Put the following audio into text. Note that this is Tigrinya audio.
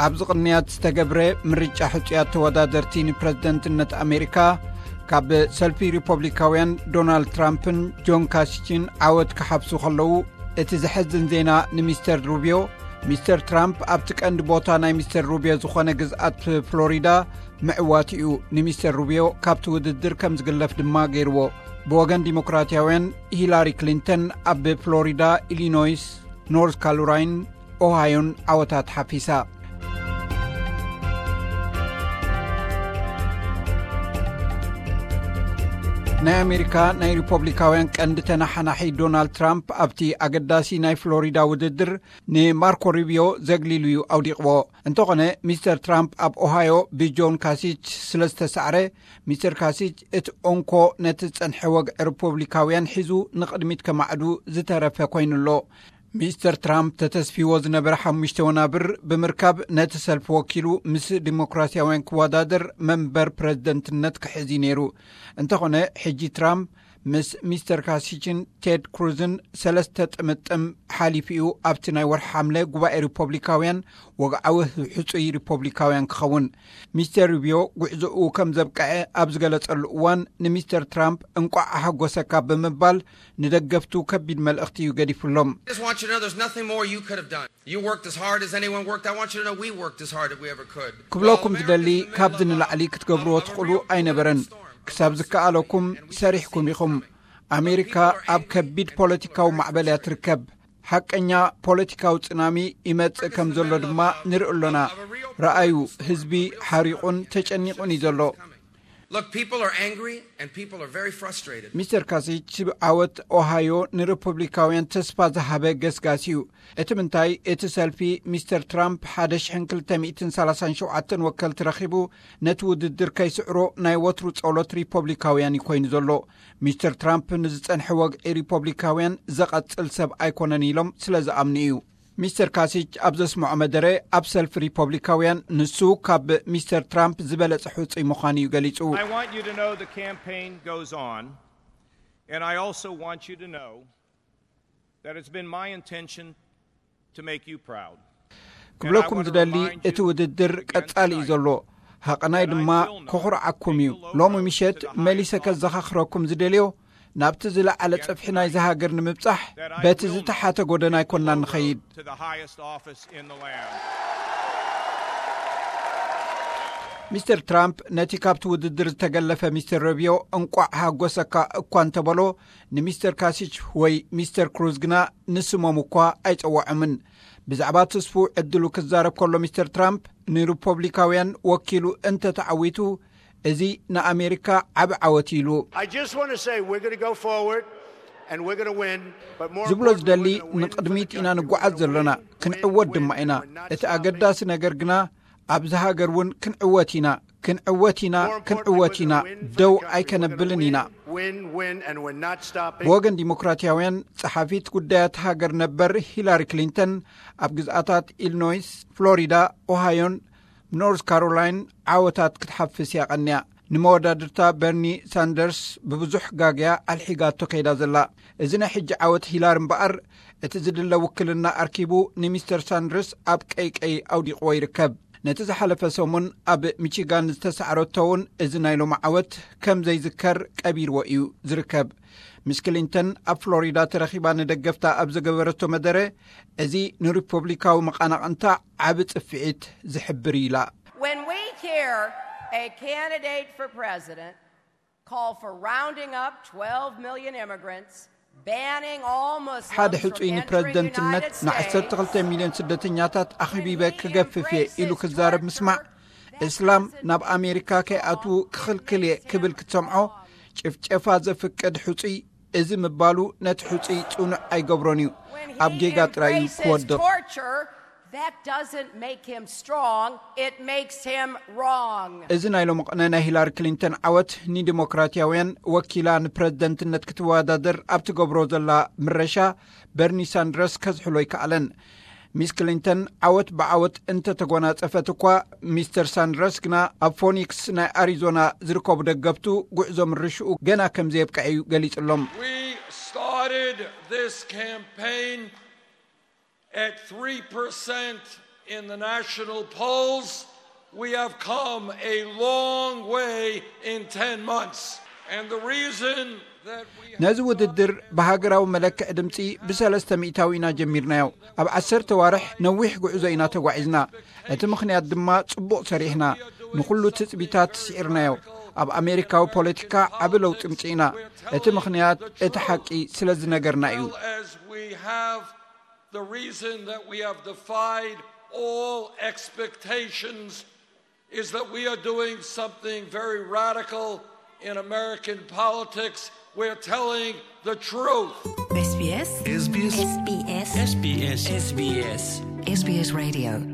ኣብዚ ቅንያት ዝተገብረ ምርጫ ሕጹያት ተወዳደርቲ ንፕረዚደንትነት ኣሜሪካ፣ ካብ ሰልፊ ሪፖብሊካውያን ዶናልድ ትራምፕን ጆን ካሲችን ዓወት ክሓፍሱ ከለዉ፣ እቲ ዘሐዝን ዜና ንሚስተር ሩቢዮ፣ ሚስተር ትራምፕ ኣብቲ ቀንዲ ቦታ ናይ ሚስተር ሩቢዮ ዝኾነ ግዝኣት ፍሎሪዳ ምዕዋት እዩ ንሚስተር ሩቢዮ ካብቲ ውድድር ከም ዝግለፍ ድማ ገይርዎ። ብወገን ዲሞክራትያውያን፣ ሂላሪ ክሊንተን ኣብ ፍሎሪዳ፣ ኢሊኖይስ፣ ኖርዝ ካሮላይን፣ ኦሃዮን ዓወታት ሓፊሳ። ናይ ኣሜሪካ ናይ ሪፖብሊካውያን ቀንዲ ተናሓናሒ ዶናልድ ትራምፕ ኣብቲ ኣገዳሲ ናይ ፍሎሪዳ ውድድር ንማርኮ ሩቢዮ ዘግሊሉ እዩ ኣውዲቕዎ። እንተኾነ፣ ሚስተር ትራምፕ ኣብ ኦሃዮ ብጆን ካሲች ስለ ዝተሳዕረ፣ ሚስተር ካሲች እቲ እንኮ ነቲ ዝጸንሐ ወግዒ ሪፖብሊካውያን ሒዙ ንቕድሚት ከማዕዱ ዝተረፈ ኮይኑሎ። ሚስተር ትራምፕ ተተስፊዎ ዝነበረ ሓሙሽተ ወናብር ብምርካብ፣ ነቲ ሰልፊ ወኪሉ ምስ ዲሞክራሲያውያን ክወዳደር መንበር ፕረዚደንትነት ክሕዝ እዩ ነይሩ። እንተኾነ፣ ሕጂ ትራምፕ ምስ ሚስተር ካሲችን ቴድ ክሩዝን ሰለስተ ጥምጥም ሓሊፉ እዩ ኣብቲ ናይ ወርሒ ሓምለ ጉባኤ ሪፖብሊካውያን ወግዓዊ ሕጹይ ሪፖብሊካውያን ክኸውን። ሚስተር ሩቢዮ ጉዕዞኡ ከም ዘብቅዐ ኣብ ዝገለጸሉ እዋን፣ ንሚስተር ትራምፕ እንቋዕ ኣሐጎሰካ ብምባል ንደገፍቱ ከቢድ መልእኽቲ እዩ ገዲፉሎም። I just want you to know there's nothing more you could have done. You worked as hard as anyone worked. I want you to know we worked as hard as we ever could. ክብለኩም ዝደሊ፣ ካብዚ ንላዕሊ ክትገብርዎ ትኽእሉ ኣይነበረን። ክሳብ ዝከኣለኩም ሰሪሕኩም ኢኹም። ኣሜሪካ ኣብ ከቢድ ፖለቲካዊ ማዕበል እያ ትርከብ። ሓቀኛ ፖለቲካዊ ጽናሚ ይመጽእ ከም ዘሎ ድማ ንርኢ ኣሎና። ረኣዩ፣ ህዝቢ ሓሪቑን ተጨኒቑን እዩ ዘሎ። Look, people are angry and people are very frustrated. ሚስተር ካሲች ዓወት ኦሃዮ ንሪፐብሊካውያን ተስፋ ዝሃበ ገስጋስ እዩ። እቲ ምንታይ፣ እቲ ሰልፊ ሚስተር ትራምፕ ሓደ ሽሕን ክልተ ሚእትን ሰላሳን ሸውዓተን ወከልቲ ረኺቡ፣ ነቲ ውድድር ከይስዕሮ ናይ ወትሩ ጸሎት ሪፐብሊካውያን እዩ ኮይኑ ዘሎ። ሚስተር ትራምፕ ንዝጸንሐ ወግዒ ሪፐብሊካውያን ዘቐጽል ሰብ ኣይኮነን ኢሎም ስለ ዝኣምኑ እዩ። ሚስተር ካሲች ኣብ ዘስምዖ መደረ፣ ኣብ ሰልፊ ሪፐብሊካውያን ንሱ ካብ ሚስተር ትራምፕ ዝበለጸ ሕጹይ ምዃኑ እዩ ገሊጹ። I want you to know the campaign goes on, and I also want you to know that it's been my intention to make you proud. ክብለኩም ዝደሊ፣ እቲ ውድድር ቀጻሊ እዩ ዘሎ። ሃቐናይ ድማ ከኹርዓኩም እዩ። ሎሚ ምሸት መሊሰ ከዘኻኽረኩም ዝደልዮ፣ ናብቲ ዝለዓለ ጽፍሒ ናይዚ ሃገር ንምብጻሕ፣ በቲ ዝተሓተ ጎደና ኣይኮንና ንኸይድ። To the highest office in the land. ሚስተር ትራምፕ ነቲ ካብቲ ውድድር ዝተገለፈ ሚስተር ሩቢዮ እንቋዕ ሃጎሰካ እኳ እንተበሎ፣ ንሚስተር ካሲች ወይ ሚስተር ክሩዝ ግና ንስሞም እኳ ኣይጸውዖምን። ብዛዕባ ተስፉ ዕድሉ ክዛረብ ከሎ ሚስተር ትራምፕ፣ ንሪፐብሊካውያን ወኪሉ እንተተዓዊቱ፣ እዚ ንኣሜሪካ ዓቢ ዓወት ኢሉ። I just want to say we're going to go forward and we're going to win. But more ዝብሎ importantly, ዝደሊ፣ we're gonna win for the ንቕድሚት ኢና country. ንጓዓዝ We're ዘለና። gonna win, ክንዕወት and we're ድማ not ኢና። stopping. እቲ ኣገዳሲ ነገር ግና፣ ኣብዚ ሃገር እውን ክንዕወት ኢና። ክንዕወት ኢና፣ ክንዕወት ኢና፣ ደው ኣይከነብልን ኢና። Win, win, and we're not stopping. ብወገን ዲሞክራትያውያን፣ ጸሓፊት ጉዳያት ሃገር ነበር ሂላሪ ክሊንተን፣ ኣብ ግዝኣታት ኢሊኖይስ፣ ፍሎሪዳ፣ ኦሃዮን ኖርዝ ካሮላይን ዓወታት ክትሓፍስ እያ ቀንያ። ንመወዳድርታ በርኒ ሳንደርስ ብብዙሕ ጋግያ ኣልሒጋቶ ከይዳ ዘላ። እዚ ናይ ሕጂ ዓወት ሂላሪ እምበኣር፣ እቲ ዝድለ ውክልና ኣርኪቡ ንሚስተር ሳንደርስ ኣብ ቀይቀይ ኣውዲቕዎ ይርከብ። ነቲ ዝሓለፈ ሰሙን ኣብ ሚቺጋን ዝተሳዕረቶ እውን፣ እዚ ናይ ሎሚ ዓወት ከም ዘይዝከር ቀቢርዎ እዩ ዝርከብ። ሚስ ክሊንተን ኣብ ፍሎሪዳ ተረኺባ ንደገፍታ ኣብ ዝገበረቶ መደረ፣ እዚ ንሪፐብሊካዊ መቓናቕንታ ዓቢ ጽፍዒት ዝሕብር እዩ ኢላ። When we hear a candidate for president call for rounding up twelve million immigrants, banning all Muslims ሓደ from ሕጹይ entering ንፕረዚደንትነት the United ንዓሰርተ ክልተ States, ሚልዮን ስደተኛታት ኣኺቢበ ክገፍፍ እየ ኢሉ ክዛረብ ምስማዕ፣ እስላም ናብ ኣሜሪካ ከይኣትዉ ክኽልክል እየ ክብል ክትሰምዖ፣ ጭፍጨፋ ዘፍቅድ ሕጹይ፣ እዚ ምባሉ ነቲ ሕጹይ ጽኑዕ ኣይገብሮን እዩ። ኣብ ጌጋ ጥራይ እዩ ክወድቕ። Torture, that doesn't make him strong, it makes him wrong. እዚ ናይ ሎሚ ቅነ ናይ ሂላሪ ክሊንተን ዓወት፣ ንዲሞክራትያውያን ወኪላ ንፕረዚደንትነት ክትወዳደር ኣብ ትገብሮ ዘላ ምረሻ፣ በርኒ ሳንደርስ ከዝሕሎ ኣይከኣለን። ሚስ ክሊንተን ዓወት ብዓወት እንተተጎናጸፈት እኳ፣ ሚስተር ሳንደርስ ግና ኣብ ፎኒክስ ናይ ኣሪዞና ዝርከቡ ደገፍቱ ጉዕዞ ምርሽኡ ገና ከም ዘየብቅዐ እዩ ገሊጹሎም። We started this campaign at three percent In the national polls, we have come a long way in ten months. And the reason that we have ነዚ ውድድር ብሃገራዊ መለክዕ ድምፂ ብሰለስተ ሚእታዊ ኢና ጀሚርናዮ። ኣብ ዓሰርተ ዋርሕ ነዊሕ ጉዕዞ ኢና ተጓዒዝና። እቲ ምኽንያት ድማ ጽቡቕ ሰሪሕና፣ ንኹሉ ትጽቢታት ስዒርናዮ። ኣብ ኣሜሪካዊ ፖለቲካ ዓቢ ለውጢ ምጽኢና። እቲ ምኽንያት እቲ ሓቂ ስለ ዝነገርና እዩ። As we have, the reason that we have defied all expectations is that we are doing something very radical in American politics. We're telling the truth. SBS SBS SBS SBS SBS SBS Radio